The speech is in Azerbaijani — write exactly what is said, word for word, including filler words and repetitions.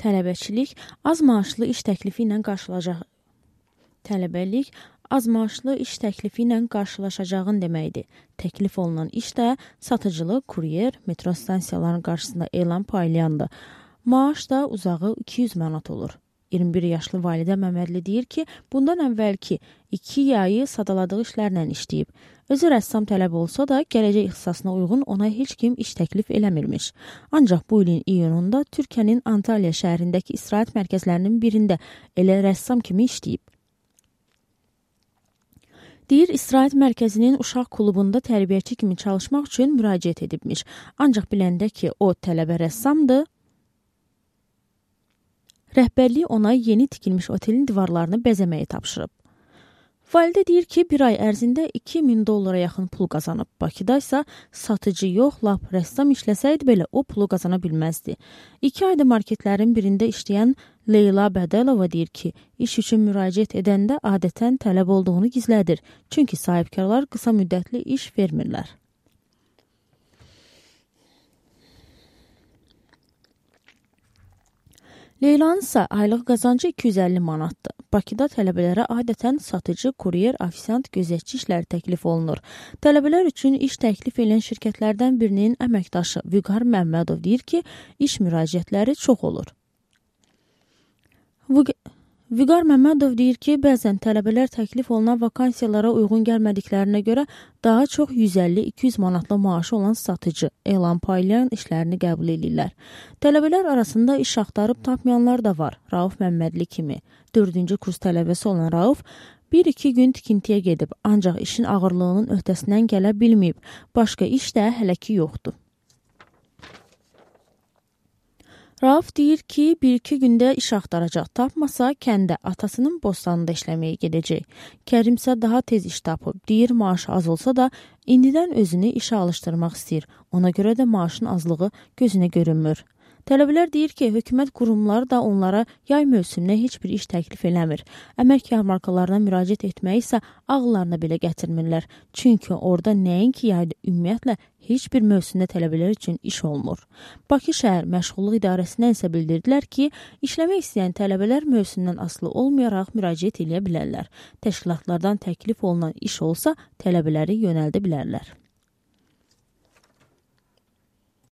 Tələbəçilik az maaşlı iş təklifi ilə qarşılaşacaq. Tələbəlik az maaşlı iş təklifi ilə qarşılaşacağın deməkdir. Təklif olunan iş də satıcılıq, kuryer, metro stansiyalarının qarşısında elan paylayandır. Maaş da uzağı iki yüz manat olur. iyirmi bir yaşlı Validə Məmmədli deyir ki, bundan əvvəlki iki yayı sadaladığı işlərlə işləyib. Özü rəssam tələb olsa da, gələcək ixtisasına uyğun ona heç kim iş təklif eləmirmiş. Ancaq bu ilin iyununda Türkiyənin Antalya şəhərindəki istirahət mərkəzlərinin birində elə rəssam kimi işləyib. Deyir, istirahət mərkəzinin uşaq klubunda tərbiyəçi kimi çalışmaq üçün müraciət edibmiş. Ancaq biləndə ki, o tələbə rəssamdır, rəhbərlik ona yeni tikilmiş otelin divarlarını bəzəməyi tapşırıb. Validə deyir ki, bir ay ərzində iki min dollara yaxın pul qazanıb. Bakıda isə satıcı yox, lap rəssam işləsəydi belə o pulu qazana bilməzdi. İki ayda marketlərin birində işləyən Leyla Bədəlova deyir ki, iş üçün müraciət edəndə adətən tələb olduğunu gizlədir. Çünki sahibkarlar qısa müddətli iş vermirlər. Leylanın isə aylıq qazancı iki yüz əlli manatdır. Bakıda tələbələrə adətən satıcı, kuryer, ofisiant, gözətçi işləri təklif olunur. Tələbələr üçün iş təklif edən şirkətlərdən birinin əməkdaşı Vüqar Məmmədov deyir ki, iş müraciətləri çox olur. Vüqar Məmmədov deyir ki, bəzən tələbələr təklif olunan vakansiyalara uyğun gəlmədiklərinə görə daha çox yüz əlli iki yüz manatlı maaşı olan satıcı, elan paylayan işlərini qəbul edirlər. Tələbələr arasında iş axtarıb tapmayanlar da var. Rauf Məmmədli kimi. Dördüncü kurs tələbəsi olan Rauf bir iki gün tikintiyə gedib, ancaq işin ağırlığının öhdəsindən gələ bilməyib. Başqa iş də hələ ki yoxdur. Rauf deyir ki, bir iki gündə iş axtaracaq, tapmasa kəndə atasının bostanında işləməyə gedəcək. Kərim isə daha tez iş tapıb, deyir maaşı az olsa da indidən özünü işə alışdırmaq istəyir. Ona görə də maaşın azlığı gözünə görünmür. Tələbələr deyir ki, hökumət qurumları da onlara yay mövsümünə heç bir iş təklif eləmir. Əmək yarmarkalarına müraciət etməyi isə ağıllarına belə gətirmirlər. Çünki orada nəinki yayda ümumiyyətlə heç bir mövsümdə tələbələr üçün iş olmur. Bakı şəhər məşğulluq idarəsindən isə bildirdilər ki, işləmək istəyən tələbələr mövsümdən asılı olmayaraq müraciət edə bilərlər. Təşkilatlardan təklif olunan iş olsa, tələbələri yönəldə bilərlər.